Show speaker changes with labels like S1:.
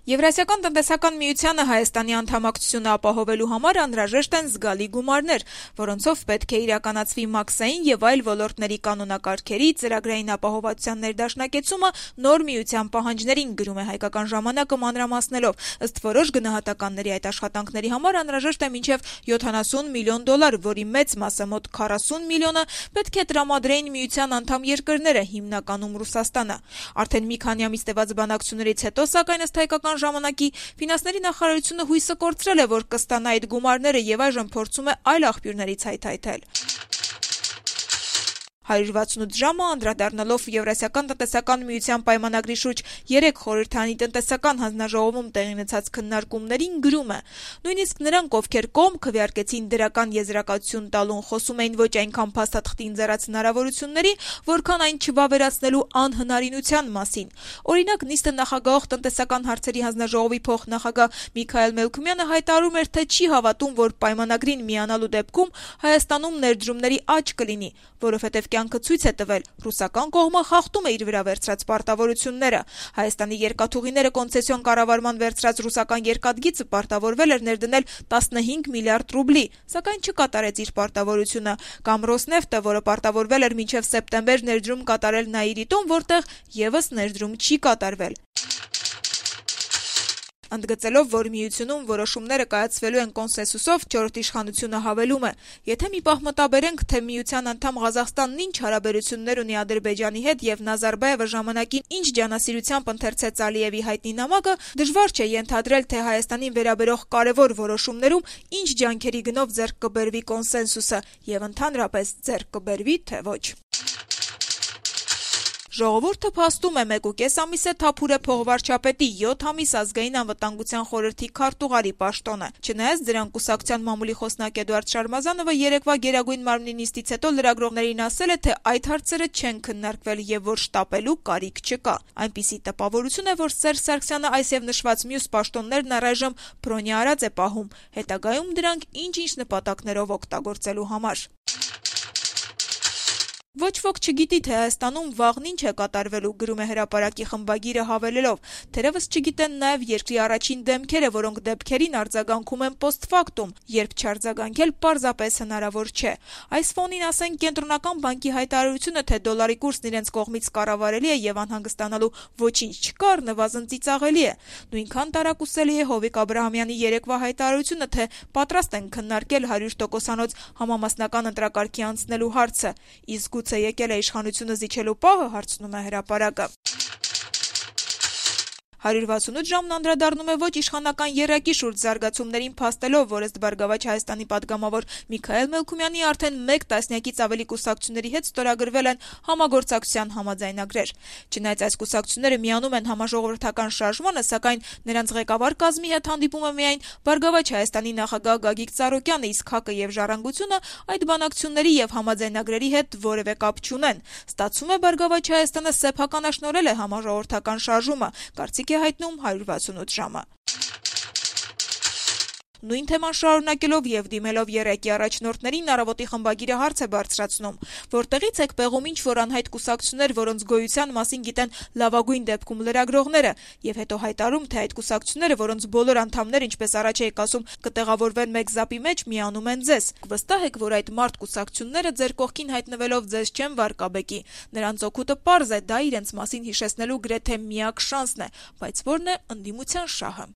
S1: Եվրասիական տնտեսական միությանը Հայաստանի անդամակցությունը ապահովելու համար անհրաժեշտ են զգալի գումարներ, որոնցով պետք է իրականացվի մաքսային եւ այլ ոլորտների կանոնակարգերի, ծրագրային ապահովվածության ներդաշնակեցումը նոր միության պահանջներին, գրում է Հայկական ժամանակը մանրամասնելով։ Ըստ որոշ գնահատականների այդ աշխատանքների համար անհրաժեշտ է մինչեւ $70 միլիոն, որի մեծ մասը մոտ 40 միլիոնը պետք է տրամադրեին միության անդամ երկրները, հիմնականում Ռուսաստանը։ Արդեն մի քանի ամիս տևած բանակցություններից հետո, սակայն ըստ Հայկական ժամանակի, ֆինանսների նախարարությունը հույսը կորցրել է, որ կստանա այդ գումարները եւ այժմ փորձում է այլ աղբյուրներից հայթայթել։ 168 ժամը անդրադառնալով Եվրասիական տնտեսական միության պայմանագրի շուրջ 3 խորհրդարանի տնտեսական հանձնաժողովում տեղի ունեցած քննարկումներին գրում է. նույնիսկ նրանք, ովքեր կողմ քվեարկեցին դրական եզրակացություն տալուն, խոսում էին ոչ այնքան փաստաթղթի ընձեռած հնարավորությունների, որքան այն չվավերացնելու անհնարինության մասին։ Օրինակ, նիստը նախագահող տնտեսական հարցերի հանձնաժողովի փոխնախագահ Միքայել Մելքումյանը հայտարարում էր, թե չի հավատում, որ պայմանագրին միանալու դեպքում Հայաստանում ներդրումների աճ կլինի, որովհետև կյանքը ցույց է տվել, ռուսական կողմը խախտում է իր վրա վերցրած պարտավորությունները։ Հայաստանի երկաթուղիները կոնցեսիոն կառավարման վերցրած ռուսական երկաթգիծը պարտավորվել էր ներդնել 15 միլիարդ ռուբլի, սակայն չկատարեց իր պարտավորությունը, կամ Ռոսնեֆտը, որը պարտավորվել էր մինչև սեպտեմբեր ներդրում կատարել Նաիրիտում, որտեղ եւս ներդրում չի կատարվել։ Ընդգծելով, որ միությունում որոշումները կայացվելու են կոնսենսուսով, չորրորդ իշխանությունը հավելում է. եթե մի պահ մտաբերենք, թե միության անդամ Ղազախստանն ինչ հարաբերություններ ունի Ադրբեջանի հետ եւ Նազարբաևը ժամանակին ինչ ջանասիրությամբ ընթերցեց Ալիևի հայտնի նամակը, դժվար չէ ենթադրել, թե Հայաստանին վերաբերող կարևոր որոշումներում ինչ ջանքերի գնով ձեռք կբերվի կոնսենսուսը եւ ընդհանրապես ձեռք կբերվի, թե ոչ։ Ժողովուրդը փաստում է 1.5 ամիս է թափուր է փողվարչապետի 7 ամիս ազգային անվտանգության խորհրդի քարտուղարի պաշտոնը։ Չնայած դրան կուսակցության մամուլի խոսնակ Էդուարդ Շարմազանովը երեկվա Գերագույն մարմնի նիստից հետո լրագրողներին ասել է, թե այդ հարցերը չեն քննարկվել եւ որ շտապելու կարիք չկա։ Այնպիսի տպավորություն է, որ Սերժ Սարգսյանը այս եւ նշված մյուս պաշտոններն առայժմ բրոնյա արած է պահում, հետագայում դրանք ինչ-ինչ նպատակներով օգտագործելու համար։ Ոչ ոք չգիտի, թե Հայաստանում վաղն ինչ է կատարվելու, գրում է Հրապարակի խմբագիրը հավելելով. թերևս չգիտեն նաև երկրի առաջին դեմքերը, որոնք դեպքերին արձագանքում են post-factum, երբ չարձագանքել պարզապես հնարավոր չէ։ Այս ֆոնին ասենք Կենտրոնական բանկի հայտարարությունը, թե դոլարի կուրսն իրենց կողմից կառավարելի է եւ անհանգստանալու ոչինչ չկա, առնվազն ծիծաղելի է։ Նույնքան տարակուսելի է Հովիկ Աբրահամյանի երեկվա հայտարարությունը, թե պատրաստ են քննարկել 100%-անոց համամասնական ընտրակարգի անցնելու հարցը, իսկ գուցե եկել է իշխանությունը զիջելու պահը, հարցնում է Հրապարակը։ 168 ժամն անդրադառնում է ոչ իշխանական եռակի շուրջ զարգացումներին փաստելով, որ ըստ Բարգավաճ Հայաստանի պատգամավոր Միքայել Մելքումյանի արդեն 1 տասնյակից ավելի կուսակցությունների հետ ստորագրվել են համագործակցության համաձայնագրեր։ Չնայած այս կուսակցությունները միանում են համաժողովրդական շարժմանը, սակայն նրանց ղեկավար կազմի հետ հանդիպում է միայն Բարգավաճ Հայաստանի նախագահ Գագիկ Ծառուկյանը, իսկ ՀԱԿ-ը եւ Ժառանգությունը այդ բանակցությունների եւ համաձայնագրերի հետ որևէ կապ չունեն։ Ստացվում է Բարգավաճ Հայաստանը սեփականաշնորհել է համաժողովրդական շարժումը, կարծիք է հայտնում 168 ժամը։ Նույն թեման շարունակելով եւ դիմելով ԵՌԵԿ-ի առաջնորդներին առավոտի խմբագիրը հարց է բարձրացնում. որտեղից եք պեղում ինչ-որ անհայտ կուսակցություններ, որոնց գոյության մասին գիտեն լավագույն դեպքում լրագրողները, եւ հետո հայտարարում, թե այդ կուսակցությունները, որոնց բոլոր անդամները, ինչպես առաջ եք ասում, կտեղավորվեն մեկ զապի մեջ, միանում են ձեզ։ Վստահ եք, որ այդ մարդ կուսակցությունները ձեր կողքին հայտնվելով ձեզ չեն վարկաբեկի։ Նրանց օգուտը պարզ է, դա իրենց մասին հիշեցնելու գրեթե միակ շանսն է, բայց որն է ընդդիմության շահը։